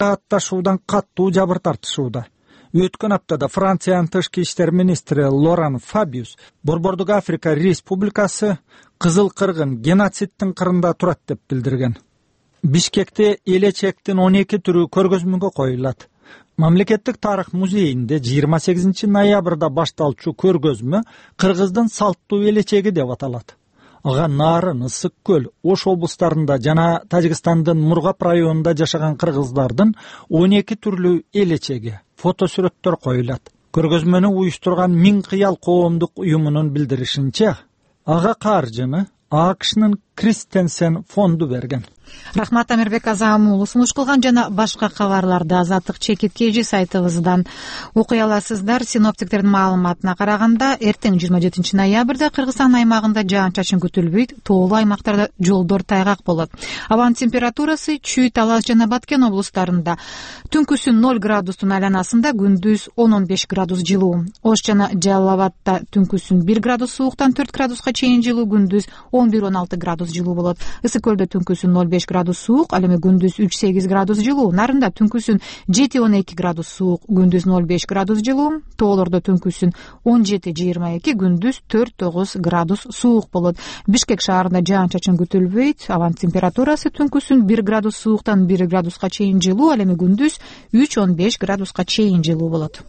атташуудан катуу жабыр тартышууда. Өткөн аптада Франциянын тышкы иштер министри Лоран Фабиус Борбордук Африка Республикасы кызыл кыргын геноцидтин кырында турат деп билдирген. Бишкекте элечектин 12 түрү көргөзмөгө коюлат. Мамлекеттик тарых музейинде 28 ноябрда башталчу көргөзмө кыргыздын салттуу элечеги деп аталат. Ага Нарын, Ысык көл, Ош облустарында жана Тажикстандын Мургап районунда жашаган кыргыздардын 12 түрлүү элечеги, фотосүрөттөр коюлат. Көргөзмөнү уюштурган Миң кыял коомдук уюмунун билдиришинче, ага каржыны АКШнын Кристенсен фонду берген. Рахмат, Амирбек Азамулов сунуш кылган жана башка кабарларды Азаттык чекит KG сайтыбыздан окуй аласыздар. Синоптиктердин маалыматына караганда, эртең 27 ноябрда Кыргызстан аймагында жаан-чачын күтүлбөйт, тоолуу аймактарда жолдор тайгак болот. Абанын температурасы Чүй, Талас жана Баткен облустарында түнкүсүн 0 градустун айланасында, күндүз 10-15 градус жылуу. Ош жана Жалал Абадта түнкүсүн 1 градус сууктан 4 градуска чейин жылуу, күндүз 11-16 градус жылуу болот. Ысык көлдө түнкүсүн 0,5 градус суук, ал эми күндүз 3-8 градус жылуу. Нарында түнкүсүн 7-12 градус суук, күндүз 0,5 градус жылуу. Тоолордо түнкүсүн 17-22, күндүз 4-9 градус суук болот. Бишкек шаарында жаан-чачын күтүлбөйт. Абанын температурасы түнкүсүн 1 градус сууктан 1 градуска чейин жылуу, ал эми күндүз 3-15 градуска чейин жылуу болот.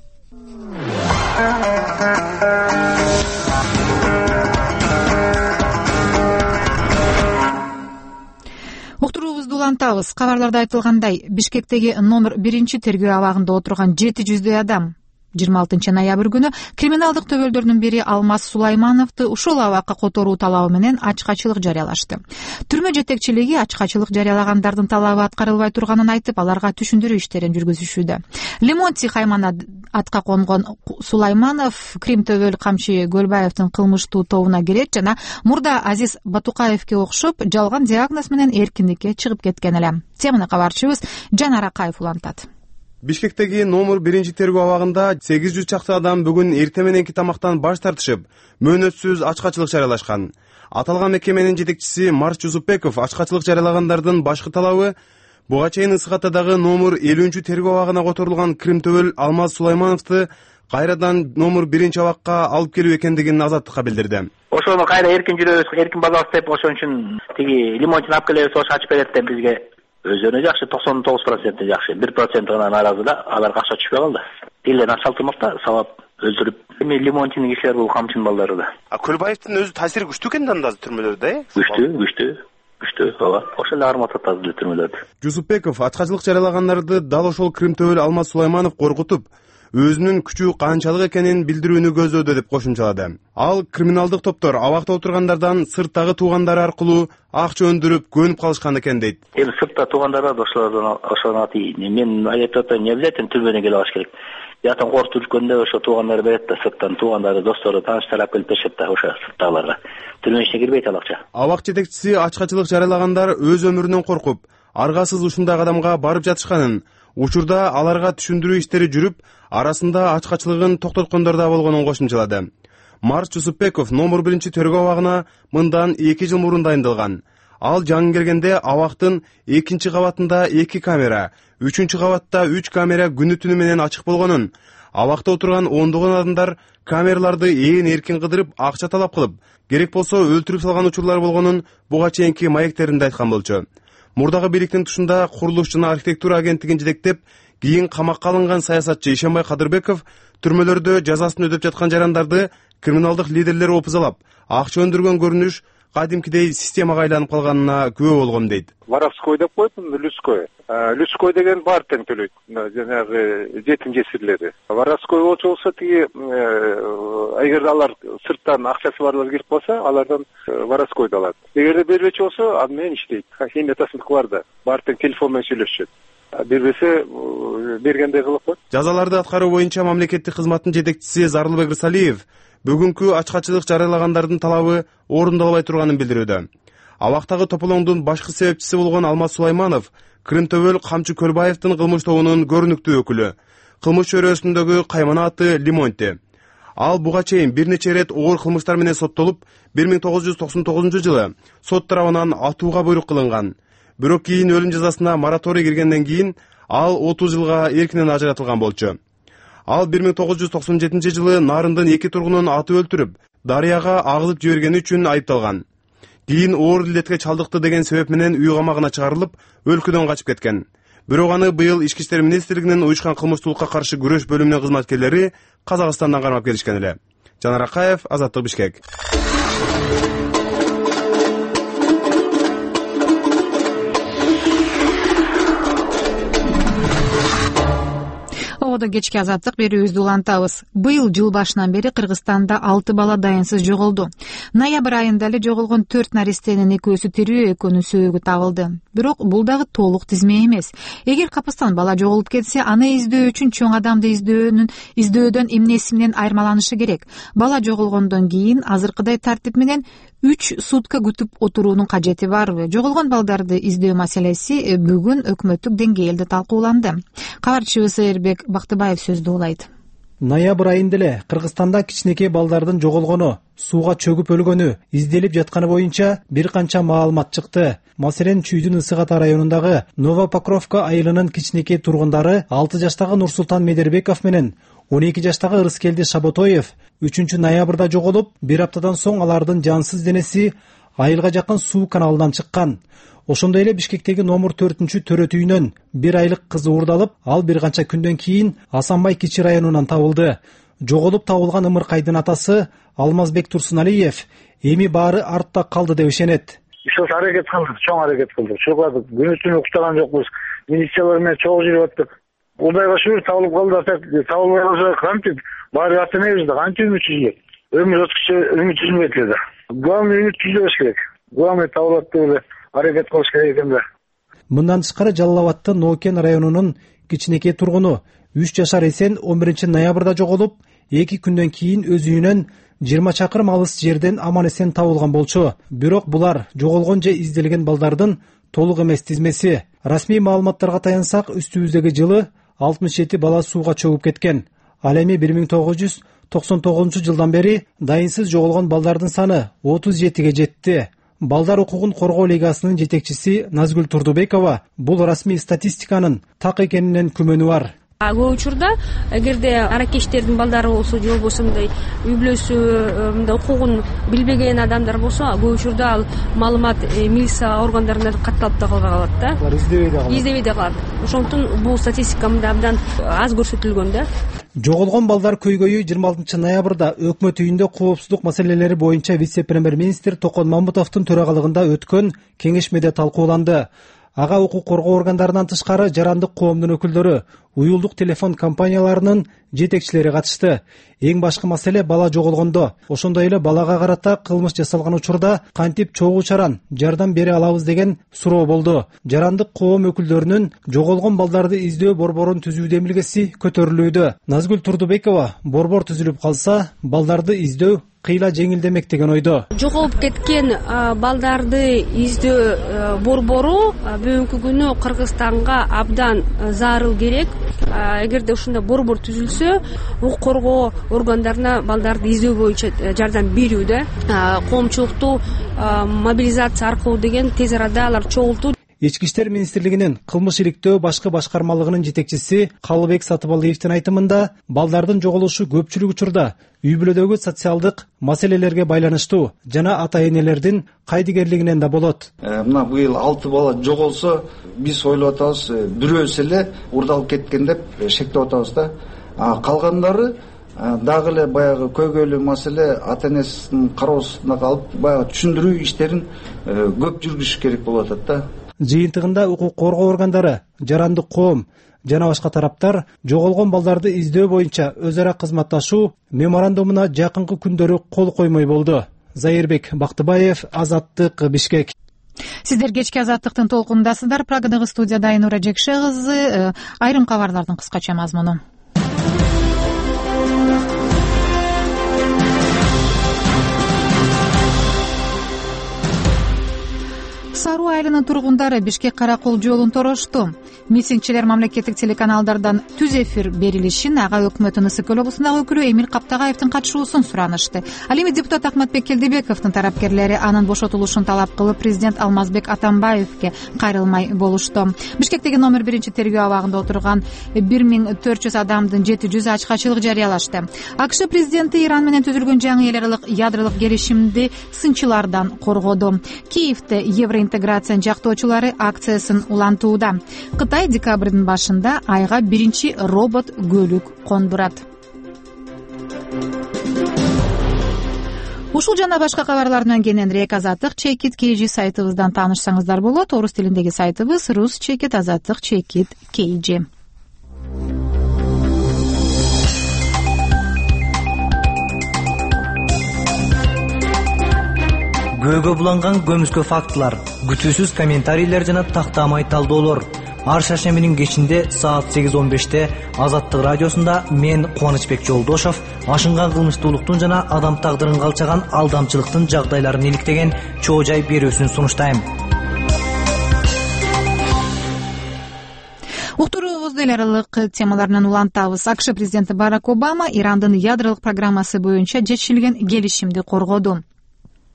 Уктуруубузду улантабыз. Кабарларда айтылгандай, Бишкектеги номер 1 тергөө абагында отурган 700 адам 26 ноябрь күнү криминалдык төбөлдөрдүн бири Алмаз Сулаймановду ушул абакка которуу талабы менен ачкачылык жарыялашты. Түрмө жетекчилиги ачкачылык жарыялагандардын талабы аткарылбай турганын айтып, аларга түшүндүрүү иштерин жүргүзүшүүдө. Лемонтий Хаймана атка конгон Сулайманов Крим Төбөл Камчы Көлбаевдин кылмыштуу тобуна кирет жана мурда Азиз Батукаевке окшоп жалган диагноз менен эркиндикке чыгып кеткен эле. Теманы кабарчыбыз Жанар Акаев улантат. Бишкектеги номер 1 тергөө абагында 800 чакты адам бүгүн эртең мененки тамактан баш тартышып, мөөнөтсүз ачкачылык жарыялашкан. Аталган мекеменин жетекчиси Марс Жусупбеков ачкачылык жарыялагандардын башкы талабы буга чейин Ысык Атадагы номер 50 тергөө абагына которулган Крим Төбөл Алмаз Сулаймановду кайрадан номер 1 абакка алып келүү экендигин Азаттыкка билдирди. Ошону кайра эркин жүрөбүз, эркин базабыз деп ошон үчүн тиги Лемонтийни алып келебиз, ошо ачып берет деп бизге өзүнө жакшы 99% жакшы, 1% гана нааразы да, аларга акча түшпөй калды. Тилден акча алтырмакта, сабап өлтүрүп. Эми Лемонтийни кишилер бул камчынын балдары да. Көлбаевдин өзү таасири күчтүү экен да анда түрмөлөрдө, э? Күчтүү, ооба. Ошол эле карматат азыр түрмөлөрдө. Жусупбеков ачкачылык жарыялагандарды дал ошол Крим Төбөл Алмаз Сулайманов коркутуп, өзүнүн күчү канчалык экенин билдирүүнү көздөөдө деп кошумчалады. Ал криминалдык топтор абакта отургандардан сырттагы туугандары аркылуу акча өндүрүп көнүп калышкан экен дейт. Эми сыртта туугандар бар, ошолордон ати мен айтып атам, не обязательно түрмөдөн келип алыш керек. Ятан коркутуп жүргөндө ошо туугандар берет да, сырттан туугандары, достору, тааныштары алып келип беришет да, ошо сырттагыларга. Түрмө ичине кирбейт ал акча. Абак жетекчиси ачкачылык жарыялагандар өз өмүрүнөн коркуп, аргасыз ушундай кадамга барып жатышканын, учурда аларга түшүндүрүү иштери жүрүп, арасында ачкачылыгын токтоткондор да болгонун кошумчалады. Марс Жусупбеков номер 1 тергөө абагына мындан 2 жыл мурун дайындалган. Ал жаңы келгенде абактын 2 кабатында 2 камера, 3 кабатта 3 камера күнү-түнү менен ачык болгонун, абакта отурган ондогон адамдар камераларды ээн эркин кыдырып, акча талап кылып, керек болсо өлтүрүп салган учурлар болгонун буга чейинки маектеринде айткан болчу. Мурдагы бийликтин тушунда курулуш жана архитектура агенттигин жетектеп, кийин камакка алынган саясатчы Ишенбай Кадырбеков түрмөлөрдө жазасын өдөп жаткан жарандарды криминалдык лидерлер опузалап, акча өндүргөн көрүнүш кадимкидей системага айланып калганына күбө болгом дейт. Воровской деп коет, Людской. Людской деген бар тең төлөйт. Жанагы жетим жесирлери. Воровской болсо тиги эгер алар сырттан акчасы барлар кирип калса, алардан воровскойду алат. Эгерде бербечи болсо, ал менен иштейт. Химия тасындык бар да. Бар тең телефон менен сүйлөшөт. Бербесе бергендей кылып коет. Жазаларды аткаруу боюнча мамлекеттик кызматтын жетекчиси Зарлыбек Рысалиев бүгүнкү ачкачылык жарыялагандардын талабы орундалбай турганын билдирүүдө. Абактагы тополоңдун башкы себепчиси болгон Алмаз Сулайманов Крим Төбөл Камчы Көлбаевдин кылмыш тобунун көрүнүктүү өкүлү. Кылмыш чөйрөсүндөгү каймана аты Лемонтий. Ал буга чейин бир нече ирет оор кылмыштар менен соттолуп, 1999 жылы сот тарабынан атууга буйрук кылынган. Бирок кийин өлүм жазасына мораторий киргенден кийин ал 30 жылга эркинен ажыратылган болчу. Ал 1997 жылы Нарындын 2 тургунун атып өлтүрүп, дарыяга агызып жибергени үчүн айыпталган. Кийин оор илдетке чалдыкты деген себеп менен үй камагына чыгарылып, өлкөдөн качып кеткен. Бирок аны быйыл Ички иштер министрлигинин уюшкан кылмыштуулукка каршы күрөш бөлүмүнүн кызматкерлери Казакстандан кармап келишкен эле. Жанар Акаев, Азаттык, Бишкек. Ободо кечки азаттык берүүбүздү улантабыз. Быйыл жыл башынан бери Кыргызстанда 6 бала дайынсыз жоголду. Ноябрь айында эле жоголгон 4 наристенин 2-сү тирүү, 2-нүн сөөгү табылды. Бирок бул дагы толук тизме эмес. Эгер капастан бала жоголуп кетсе, аны издөө үчүн чоң адамды издөөдөн эмнеси менен айырмаланышы керек. Бала жоголгондон кийин азыркыдай тартип менен 3 сутка күтүп отуруунун кажети барбы? Жоголгон балдарды издөө маселеси бүгүн өкмөттүк деңгээлде талкууланды. Кабарчыбыз Эрбек Бактыбаев сөздү улайт. Ноябрь айында эле Кыргызстанда кичинекей балдардын жоголгону, сууга чөгүп өлгөнү, изделип жатканы боюнча бир канча маалымат чыкты. Маселен, Чүйдүн Ысык Ата районундагы Новопокровка айылынын кичинекей тургундары 6 жаштагы Нурсултан Медербеков менен 12 жаштагы Ырыскелди Шаботоев 3 ноябрда жоголуп, бир аптадан соң алардын жансыз денеси айылга жакын суу каналынан чыккан. Ошондой эле Бишкектеги номер 4 төрөт үйүнөн 1 айлык кыз уурдалып, ал бир канча күндөн кийин Асанбай Кичи районунан табылды. Жоголуп табылган ымыркайдын атасы Алмазбек Турсуналиев эми баары артта калды деп ишенет. Ошол аракет кылдык, чоң аракет кылдык. Чуркадык, күнү түнү уктаган жокпуз. Милициялар менен чогуу жүрүп аттык. Кудайга шүгүр табылып калды, табылбай калса кантип баары аттанабыз да, кантип үмүт үзүлөт. Өмүр үмүт үзүлбөйт эле. Главный үмүт үзбөш керек. Главный табылат деп аракет кылыш керек экен да. Мындан тышкары Жалал Абадтын Нокен районунун кичинекей тургуну 3 жашар Эсен 11 ноябрда жоголуп, 2 күндөн кийин өз үйүнөн 20 чакырым алыс жерден аман эсен табылган болчу. Бирок булар жоголгон же изделген балдардын толук эмес тизмеси. Расмий маалыматтарга таянсак, үстүбүздөгү жылы 67 бала сууга чөгүп кеткен. Ал эми 1999 жылдан бери дайынсыз жоголгон балдардын саны 37ге жетти. Балдар укугун коргоо лигасынын жетекчиси Назгүл Турдубекова бул расмий статистиканын так экенинен күмөнү бар. Көп учурда эгерде аракечтердин балдары болсо же болбосо мындай үй бүлөсү мындай укугун билбеген адамдар болсо, көп учурда ал маалымат милиция органдарына катталып да калат да. Алар издебей да калат. Ошондуктан бул статистика мында абдан аз көрсөтүлгөн да. Жоголгон балдар көйгөйү 26 ноябрда өкмөт үйүндө коопсуздук маселелери боюнча вице-премьер-министр Токон Мамбутовдун төрагалыгында өткөн кеңешмеде талкууланды. Ага укук коргоо органдарынан тышкары жарандык коомдун өкүлдөрү, уюлдук телефон компанияларынын жетекчилери катышты. Эң башкы маселе бала жоголгондо, ошондой эле балага карата кылмыш жасалган учурда кантип чогуу чаран жардам бере алабыз деген суроо болду. Жарандык коом өкүлдөрүнүн жоголгон балдарды издөө борборун түзүү демилгеси көтөрүлүүдө. Назгүл Турдубекова борбор түзүлүп калса, балдарды издөө кыйла жеңилдемек деген ойдо. Жоголуп кеткен балдарды издөө борбору бүгүнкү күнү Кыргызстанга абдан зарыл керек. Эгерде ушундай борбор түзүлсө, укук коргоо органдарына балдарды издөө боюнча жардам берүүдө, коомчулукту мобилизация аркылуу деген тез арада алар чогултуу. Ички иштер министрлигинин кылмыш иликтөө башкы башкармалыгынын жетекчиси Калыбек Сатыбалиевдин айтымында, балдардын жоголушу көпчүлүк учурда үй бүлөдөгү социалдык маселелерге байланыштуу жана ата-энелердин кайдыгерлигинен да болот. Мына быйыл 6 бала жоголсо, биз ойлоп атабыз, бирөөсү эле уурдалып кеткен деп шектеп атабыз да. Калгандары дагы эле баягы көйгөйлүү маселе ата-энесинин кароосунда калып, баягы түшүндүрүү иштерин көп жүргүзүш керек болуп атат да. Жыйынтыгында укук коргоо органдары, жарандык коом жана башка тараптар жоголгон балдарды издөө боюнча өз ара кызматташуу меморандумуна жакынкы күндөрү кол коймой болду. Зайырбек Бактыбаев, Азаттык, Бишкек. Сиздер кечки Азаттыктын толкунундасыздар. Прагадагы студияда Айнура Жекше кызы. Айрым кабарлардын кыскача мазмуну. Саруу айылынын тургундары Бишкек Каракол жолун торошту. Митингчилер мамлекеттик телеканалдардан түз эфир берилишин ага өкмөттүн Ысык Көл облусундагы өкүлү Эмил Каптагаевдин катышуусун суранышты. Ал эми депутат Ахматбек Келдибековдун тарапкерлери анын бошотулушун талап кылып, президент Алмазбек Атамбаевге кайрылмай болушту. Бишкектеги номер 1 тергөө абагында отурган 1400 адамдын 700 ачкачылык жарыялашты. АКШ президенти Иран менен түзүлгөн жаңы эл аралык ядролук келишимди сынчылардан коргоду. Киевде евроинтеграциянын жактоочулары акциясын улантууда. Кытай декабрдын башында айга биринчи робот көлүк кондурат. Ушул жана башка кабарлар менен кененирээк Азаттык чекит KG сайтыбыздан таанышсаңыздар болот. Орус тилиндеги сайтыбыз Rus чекит Азаттык чекит KG. Көөгө буланган көмүскө фактылар, күтүүсүз комментарийлер жана тактамай талдоолор. Ар шаршембинин кечинде саат 8:15 Азаттык радиосунда мен Кубанычбек Жолдошов ашынган кылмыштуулуктун жана адам тагдырын калчаган алдамчылыктын жагдайларын иликтеген чоо жай берүүсүн сунуштайм. Уктуруубузду эл аралык темаларынан улантабыз. АКШ президенти Барак Обама Ирандын ядролук программасы боюнча жетишилген келишимди коргоду.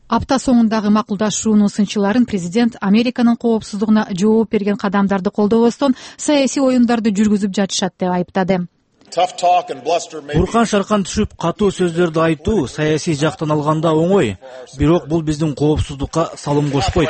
Апта соңундагы макулдашуунун сынчыларын президент Американын коопсуздугуна жооп берген кадамдарды колдобостон саясий оюндарды жүргүзүп жатышат деп айыптады. Буркан шаркан түшүп катуу сөздөрдү айтуу саясий жактан алганда оңой, бирок бул биздин коопсуздукка салым кошпойт,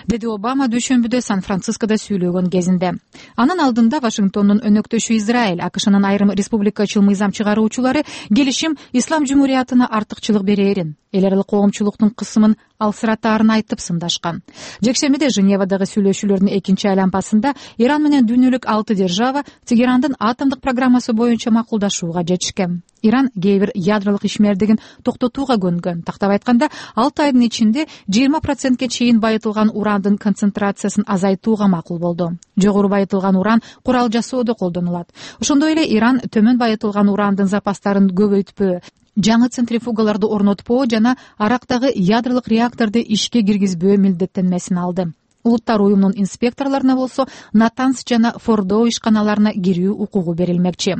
деди Обама дүйшөмбүдө Сан-Францискодо сүйлөгөн кезинде. Анын алдында Вашингтондун өнөктөшү Израиль, АКШнын айрым республикачыл мыйзам чыгаруучулары келишим ислам жумуриятына артыкчылык берээрин, эл аралык коомчулуктун кысымын алсыратаарын айтып сындашкан. Жекшембиде Женевадагы сүйлөшүүлөрдүн экинчи айланпасында Иран менен дүйнөлүк 6 держава Тегерандын атомдук программасы боюнча макулдашууга жетишкен. Иран кээ бир ядролук ишмердигин токтотууга көнгөн. Тактап айтканда, 6 айдын ичинде 20% чейин байытылган урандын концентрациясын азайтууга макул болду. Жогору байытылган уран курал жасоодо колдонулат. Ошондой эле Иран төмөн байытылган урандын запастарын көбөйтпөө, жаңы центрифугаларды орнотпоо жана Арактагы ядролук реакторду ишке киргизбөө милдеттенмесин алды. Улуттар уюмунун инспекторлоруна болсо Натанс жана Фордо ишканаларына кирүү укугу берилмекчи.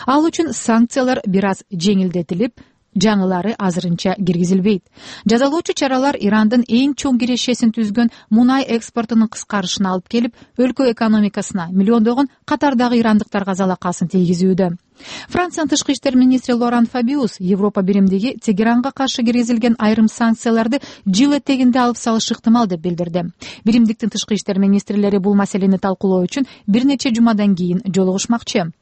Ал үчүн санкциялар бир аз жеңилдетилип, жаңылары азырынча киргизилбейт. Жазалоочу чаралар Ирандын эң чоң кирешесин түзгөн мунай экспортунун кыскарышына алып келип, өлкө экономикасына миллиондогон катардагы ирандыктарга залакасын тийгизүүдө. Франциянын тышкы иштер министри Лоран Фабиус Европа биримдиги Тегеранга каршы киргизилген айрым санкцияларды жыл этегинде алып салышы ыктымал деп билдирди. Биримдиктин тышкы иштер министрлери бул маселени талкуулоо үчүн бир нече жумадан кийин жолугушмакчы.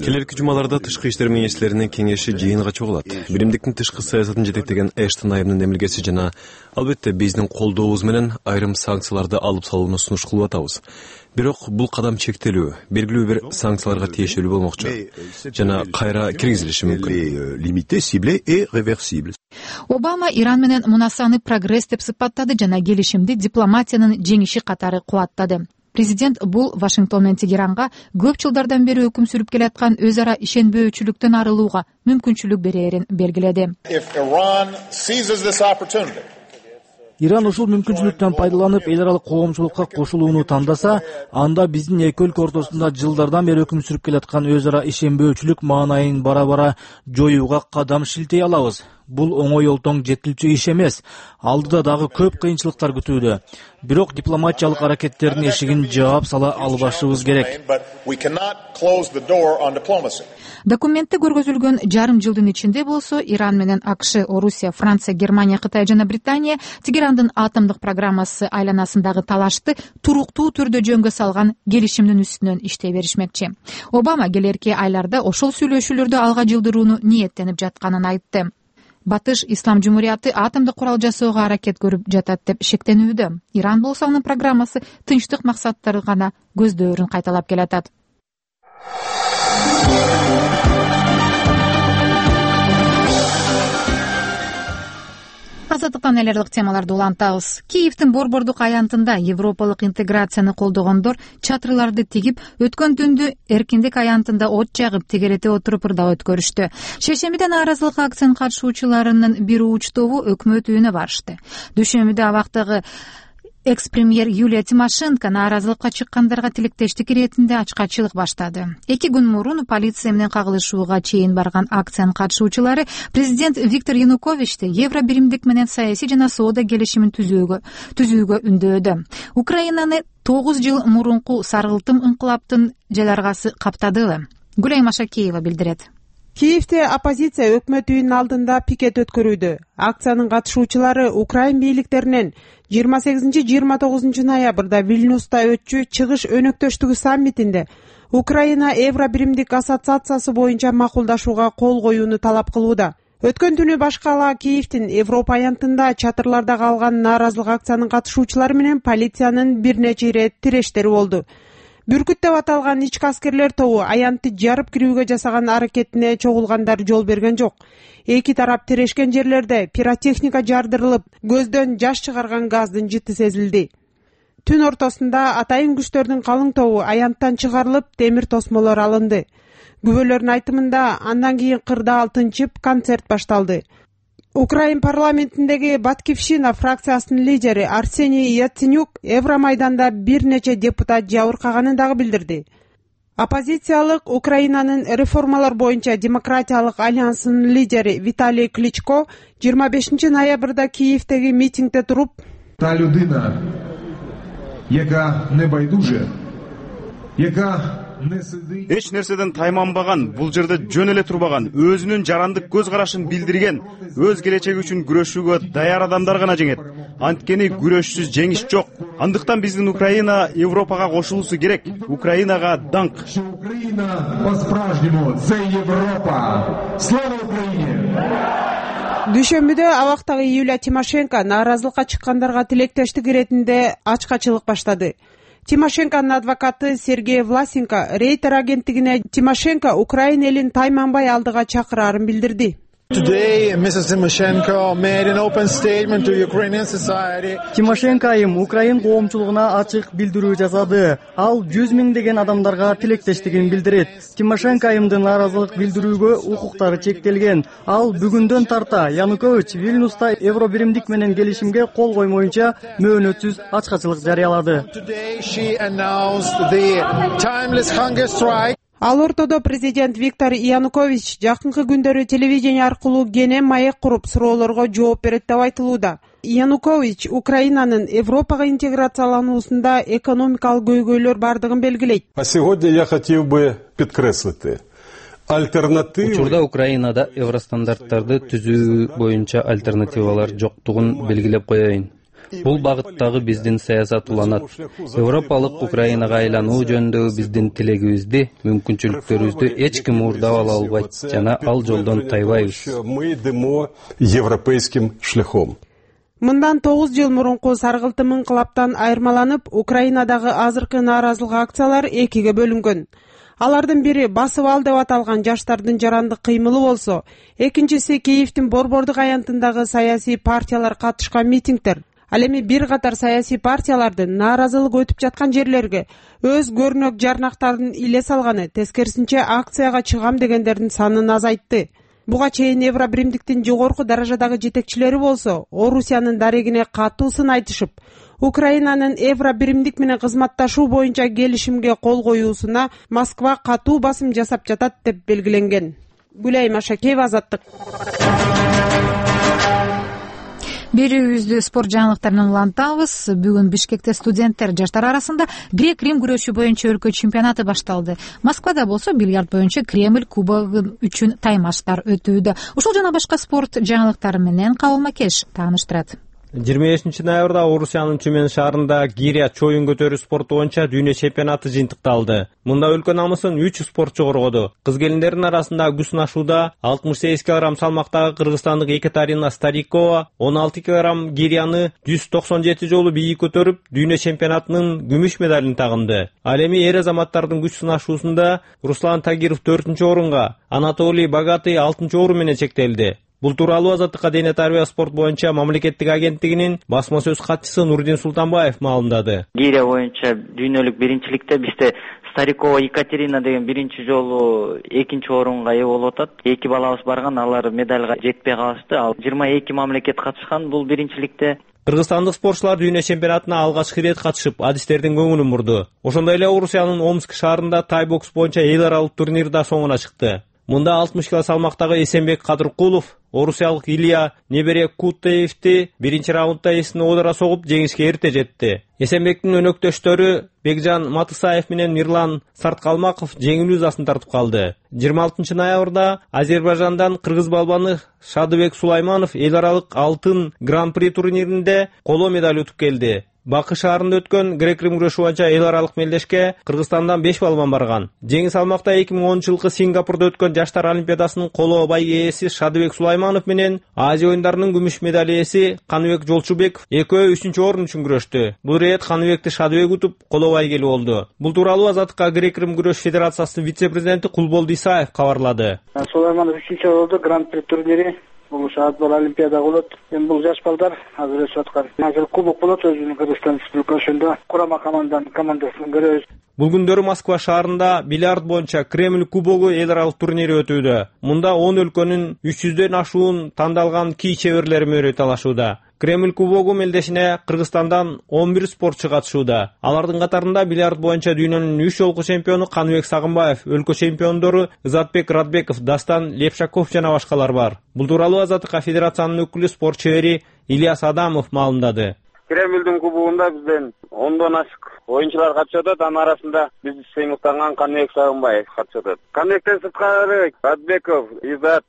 Келерки жумаларда тышкы иштер министрлеринин кеңеши жыйынга чогулат. Биримдиктин тышкы саясатын жетектеген Эштон айымынын эмилгеси жана албетте биздин колдообуз менен айрым санкцияларды алып салууну сунуш кылып атабыз. Бирок бул кадам чектелүү, белгилүү бир санкцияларга тиешелүү болмокчу жана кайра киргизилиши мүмкүн. Обама Иран менен мунасаны прогресс деп сыпаттады жана келишимди дипломатиянын жеңиши катары кубаттады. Президент бул Вашингтон менен Тегеранга көп жылдардан бери өкүм сүрүп келаткан өз ара ишенбөөчүлүктөн арылууга мүмкүнчүлүк берээрин белгиледи. Иран ушул мүмкүнчүлүктөн пайдаланып эл аралык коомчулукка кошулууну тандаса, анда биздин эки өлкө ортосунда жылдардан бери өкүм сүрүп келаткан өз ара ишенбөөчүлүк маанайын бара-бара жоюуга кадам шилтей алабыз. Бул оңой олтоң жетилчү иш эмес. Алдыда дагы көп кыйынчылыктар күтүүдө. Бирок дипломатиялык аракеттердин эшигин жаап сала албашыбыз керек. Документте көргөзүлгөн жарым жылдын ичинде болсо Иран менен АКШ, Орусия, Франция, Германия, Кытай жана Британия Тегерандын атомдук программасы айланасындагы талашты туруктуу түрдө жөнгө салган келишимдин үстүнөн иштей беришмекчи. Обама келерки айларда ошол сүйлөшүүлөрдү алга жылдырууну ниеттенип жатканын айтты. Батыш Ислам жумурияты атомдук курал жасоого аракет көрүп жатат деп шектенүүдө. Иран болсо анын программасы тынчтык максаттары гана көздөөрүн кайталап келатат. Азаттыктан эл аралык темаларды улантабыз. Киевдин Борбордук аянтында европалык интеграцияны колдогондор чатырларды тигип, өткөн түндү эркиндик аянтында от жагып, тегерете отуруп ырдап өткөрүштү. Шейшембиде нааразылык акциянын катышуучуларынын бир уч тобу өкмөт үйүнө барышты. Дүйшөмбүдө абактагы экс-премьер Юлия Тимошенко нааразылыкка чыккандарга тилектештик иретинде ачкачылык баштады. 2 күн мурун полиция менен кагылышууга чейин барган акциянын катышуучулары президент Виктор Януковичти евро биримдик менен саясий жана соода келишимин түзүүгө үндөөдө. Украинаны 9 жыл мурунку саргылтым инкылаптын жаларгасы каптады. Гүлай Машакеева билдирет. Киевде оппозиция өкмөт үйүнүн алдында пикет өткөрүүдө. Акциянын катышуучулары Украин бийликтеринен 28-29 ноябрда Вильнюста өтчү чыгыш өнөктөштүгү саммитинде Украина евро биримдик ассоциациясы боюнча макулдашууга кол коюуну талап кылууда. Өткөн түнү башкала Киевдин Европа аянтында чатырларда калган нааразылык акциянын катышуучулары менен полициянын бир нече ирет тирештери болду. Бүркүт деп аталган ички аскерлер тобу аянтты жарып кирүүгө жасаган аракетине чогулгандар жол берген жок. Эки тарап тирешкен жерлерде пиротехника жардырылып, көздөн жаш чыгарган газдын жыты сезилди. Түн ортосунда атайын күчтөрдүн калың тобу аянттан чыгарылып, темир тосмолор алынды. Күбөлөрдүн айтымында андан кийин кырдаал тынчып, концерт башталды. Украин парламентиндеги Батькивщина фракциясынын лидери Арсений Яценюк Евромайданда бир нече депутат жабыркаганын дагы билдирди. Оппозициялык Украинанын реформалар боюнча демократиялык альянсынын лидери Виталий Кличко 25 ноябрда Киевдеги митингде туруп: "Та людина, яка не байдуже, яка эч нерседен тайманбаган, бул жерде жөн эле турбаган, өзүнүн жарандык көз карашын билдирген, өз келечеги үчүн күрөшүүгө даяр адамдар гана жеңет. Анткени күрөшсүз жеңиш жок. Андыктан биздин Украина Европага кошулуусу керек. Украинага даңк. Украина по-справжнему за Европа. Слава Украине! Дүйшөмбүдө абактагы Юлия Тимошенко нааразылыкка чыккандарга тилектештик иретинде ачкачылык баштады. Тимошенконун адвокаты Сергей Власенко Рейтер агенттигине Тимошенко Украина элин тайманбай алдыга чакырарын билдирди. Тимошенко айым Украин коомчулугуна ачык билдирүү жасады. Ал 100 миңдеген адамдарга тилектештигин билдирет. Тимошенко айымдын нааразылык билдирүүгө укуктары чектелген. Ал бүгүндөн тарта Янукович Вильнюста евро биримдик менен келишимге кол коймоюнча мөөнөтсүз ачкачылык жарыялады. Ал ортодо президент Виктор Янукович жакынкы күндөрү телевидение аркылуу кенен маек куруп суроолорго жооп берет деп айтылууда. Янукович Украинанын Европага интеграциялануусунда экономикалык көйгөйлөр бардыгын белгилейт. А сегодня я хотел бы подкреслить. Учурда Украинада евростандарттарды түзүү боюнча альтернативалар жоктугун белгилеп коеюн. Бул багыттагы биздин саясат уланат. Европалык Украинага айлануу жөнүндөгү биздин тилегибизди, мүмкүнчүлүктөрүбүздү эч ким уурдап ала албайт жана ал жолдон тайбайбыз. Мы идем европейским шляхом. Мындан 9 жыл мурунку саргылтым инкылаптан айырмаланып, Украинадагы азыркы нааразылык акциялар экиге бөлүнгөн. Алардын бири басып ал деп аталган жаштардын жарандык кыймылы болсо, экинчиси Киевдин Борбордук аянтындагы саясий партиялар катышкан митингдер. Ал эми бир катар саясий партиялардын нааразылык өтүп жаткан жерлерге өз көрнөк жарнактарын иле салганы, тескерисинче акцияга чыгам дегендердин санын азайтты. Буга чейин евро биримдиктин жогорку даражадагы жетекчилери болсо, Орусиянын дарегине катуу сын айтышып, Украинанын евро биримдик менен кызматташуу боюнча келишимге кол коюусуна Москва катуу басым жасап жатат деп белгиленген. Гүлай Машакеева, Азаттык. Берүүбүздү спорт жаңылыктарынан улантабыз. Бүгүн Бишкекте студенттер жаштар арасында грек-рим күрөшү боюнча өлкө чемпионаты башталды. Москвада болсо бильярд боюнча Кремль кубогу үчүн таймаштар өтүүдө. Ушул жана башка спорт жаңылыктары менен Кабыл Макеш тааныштырат. 25 ноябрда Орусиянын Тюмень шаарында гиря чоюн көтөрүү спорту боюнча дүйнө чемпионаты жыйынтыкталды. Мында өлкө намысын 3 спортчу коргоду. Кыз келиндердин арасында күч сынашууда 68 кг салмактагы кыргызстандык Екатерина Старикова 16 кг гиряны 197 жолу бийик көтөрүп, дүйнө чемпионатынын күмүш медалын тагынды. Ал эми эр азаматтардын күч сынашуусунда Руслан Тагиров 4-орунга, Анатолий Богатый 6-орун менен чектелди. Бул тууралуу Азаттыкка дене тарбия спорт боюнча мамлекеттик агенттигинин басма сөз катчысы Нурдин Султанбаев маалымдады. Гирия боюнча дүйнөлүк биринчиликте бизде Старикова Екатерина деген биринчи жолу экинчи орунга ээ болуп атат. 2 балабыз барган, алар медальга жетпей калышты. Ал 22 мамлекет катышкан бул биринчиликте. Кыргызстандык спортчулар дүйнө чемпионатына алгачкы ирет катышып, адистердин көңүлүн бурду. Ошондой эле Орусиянын Омск шаарында тай бокс боюнча эл аралык турнир да соңуна чыкты. Мында 60 кг салмактагы Эсенбек Кадыркулов орусиялык Илья Неберекутеевди биринчи раундда эсин оодура согуп жеңишке эрте жетти. Эсенбектин өнөктөштөрү Бекжан Матысаев менен Мирлан Сарткалмаков жеңил узасын тартып калды. 26 ноябрда Азербайжандан кыргыз балбаны Шадыбек Сулайманов эл аралык алтын гран-при турниринде коло медаль утуп келди. Бакы шаарында өткөн грек-рим күрөшү боюнча эл аралык мелдешке Кыргызстандан 5 балбан барган. Жеңил салмакта 2010-жылкы Сингапурда өткөн жаштар олимпиадасынын коло бай ээси Шадыбек Сулайманов менен Азия оюндарынын күмүш медаль ээси Каныбек Жолчубеков экөө 3-орун үчүн күрөштү. Бул рет Каныбекти Шадыбек утуп коло бай келип болду. Бул тууралуу Азаттыкка грек-рим күрөш федерациясынын вице-президенти Кулболду Исаев кабарлады. Сулайманов 3-чү болду гран-при турнири. Бул шаат бар олимпиада болот. Эми бул жаш балдар азыр өсүп аткан. Азыр кубок болот өзүнүн Кыргызстан Республикасында курама командасын көрөбүз. Бул күндөрү Москва шаарында бильярд боюнча Кремль кубогу эл аралык турнири өтүүдө. Мында 10 өлкөнүн 300дөн ашуун тандалган кий чеберлери мөрөй талашууда. Кремль кубогу мелдешине Кыргызстандан 11 спортчу катышууда. Алардын катарында бильярд боюнча дүйнөнүн 3 жолку чемпиону Каныбек Сагынбаев, өлкө чемпиондору Изатбек Радбеков, Дастан Лепшаков жана башкалар бар. Бул тууралуу Азаттыкка федерациянын өкүлү спорт чебери Ильяс Адамов маалымдады. Кремльдин кубогунда бизден 10дон ашык оюнчулар катышып атат. Анын арасында бизди сыймыктанган Каныбек Сагынбаев катышып атат. Каныбектен сырткары Радбеков, Изат,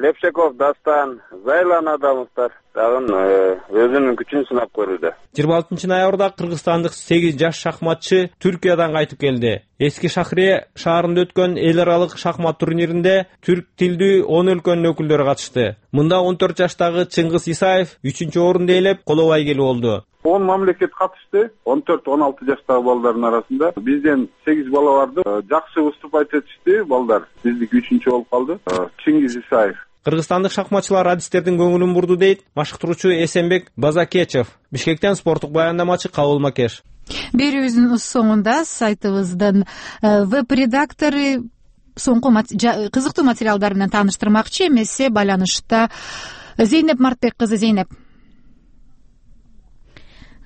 Лепшаков, Дастан, Зайлан Адамовдор дагы өзүнүн күчүн сынап көрүүдө. 26 ноябрда кыргызстандык 8 жаш шахматчы Түркиядан кайтып келди. Эски Шахрие шаарында өткөн эл аралык шахмат турниринде түрк тилдүү 10 өлкөнүн өкүлдөрү катышты. Мында 14 жаштагы Чыңгыз Исаев 3-орунду ээлеп коло бай келип болду. 10 мамлекет катышты. 14-16 жаштагы балдардын арасында бизден 8 бала барды. Жакшы выступать этишти балдар. Биздики 3-чү болуп калды. Чыңгыз Исаев. Кыргызстандык шахматчылар адистердин көңүлүн бурду дейт машыктыруучу Эсенбек Базакечев. Бишкектен спорттук баяндамачы Кабыл Макеш. Берүүбүздүн соңунда сайтыбыздын веб-редактору соңку кызыктуу материалдар менен тааныштырмакчы. Эмесе байланышта Зейнеп Мартбек кызы. Зейнеп.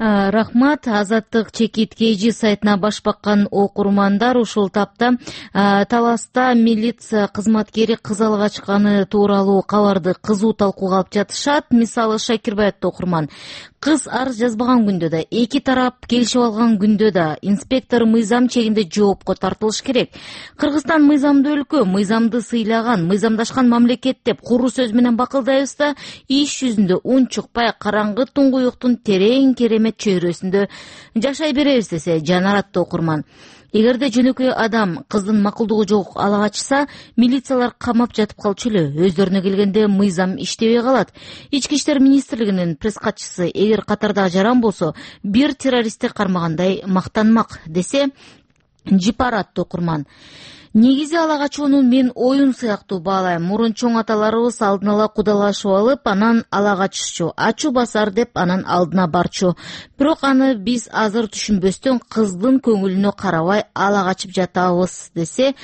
Рахмат. Азаттык чекит KG сайтына баш баккан окурмандар ушул тапта Таласта милиция кызматкери кыз алып качканы тууралуу кабарды кызуу талкууга алып жатышат. Мисалы Шакирбаевди окурман кыз арыз жазбаган күндө да, эки тарап келишип алган күндө да инспектор мыйзам чегинде жоопко тартылыш керек. Кыргызстан мыйзамдуу өлкө, мыйзамды сыйлаган, мыйзамдашкан мамлекет деп куру сөз менен бакылдайбыз да, иш жүзүндө үн чыкпай караңгы туңгуюктун терең керемет чөйрөсүндө жашай беребиз десе жанаратты окурман. Эгерде жөнөкөй адам кыздын макулдугу жок ала качса, милициялар камап жатып калчу эле. Өздөрүнө келгенде мыйзам иштебей калат. Ички иштер министрлигинин пресс катчысы эгер катардагы жаран болсо, бир террористти кармагандай мактанмак десе жипаратты окурман. Негизи ала качууну мен оюн сыяктуу баалайм. Мурун чоң аталарыбыз алдын ала кудалашып алып, анан ала качышчу, ачуу басар деп анан алдына барчу. Бирок аны биз азыр түшүнбөстөн кыздын көңүлүнө карабай ала качып жатабыз десе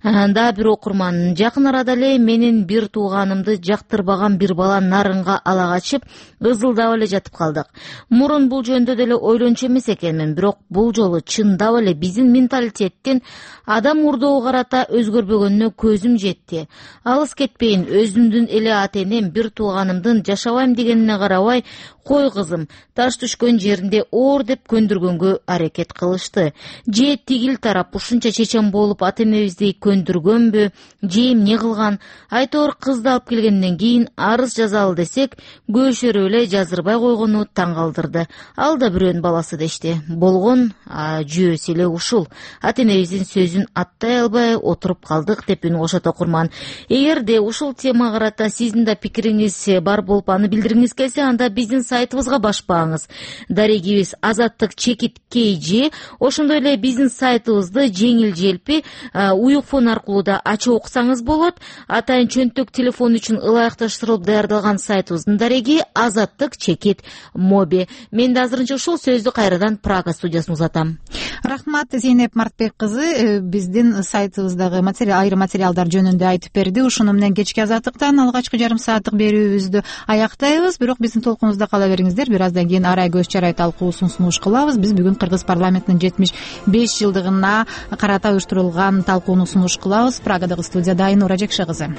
да бир окурман. Жакын арада эле менин бир тууганымды жактырбаган бир бала нарынга ала качып, ызылдап эле жатып калдык. Мурун бул жөнүндө деле ойлончу эмес экенмин, бирок бул жолу чындап эле биздин менталитеттин адам урдоого карата өзгөрбөгөнүнө көзүм жетти. Алыс кетпейин, өзүмдүн эле ата-энем бир тууганымдын жашабайм дегенине карабай, кой кызым, таш түшкөн жеринде оор деп көндүргөнгө аракет кылышты. Же тигил тарап ушунча чечен болуп ата-энебизди көндүргөнбү, же эмне кылган? Айтор кызды алып келгенден кийин арыз жазалы десек, көшөрүп эле жаздырбай койгону таң калтырды. Ал да бирөөнүн баласы дешти. Болгон жүйөсү эле ушул. Ата-энебиздин сөзүн аттай албай отуруп калдык деп үн кошот окурман. Эгерде ушул темага карата сиздин да пикириңиз бар болуп аны билдиргиңиз келсе, анда биздин сайтыбызга башпаңыз. Дарегибиз Азаттык чекит KG. Ошондой эле биздин сайтыбызды жеңил желпи уюк фон аркылуу да ачып окусаңыз болот. Атайын чөнтөк телефон үчүн ылайыкташтырылып даярдалган сайтыбыздын дареги Азаттык чекит моби. Мен да азырынча ушул сөздү кайрадан Прага студиясына узатам. Рахмат, Зейнеп Мартбек кызы биздин сайтыбыздагы айрым материалдар жөнүндө айтып берди. Ушуну менен кечки Азаттыктан алгачкы жарым сааттык берүүбүздү аяктайбыз. Бирок биздин толкунубузда кала бериңиздер. Бир аздан кийин арай көз чарай талкуусун сунуш кылабыз. Биз бүгүн Кыргыз парламентинин 75 жылдыгына карата уюштурулган талкууну сунуш кылабыз. Прагадагы студияда Айнура Жекше кызы.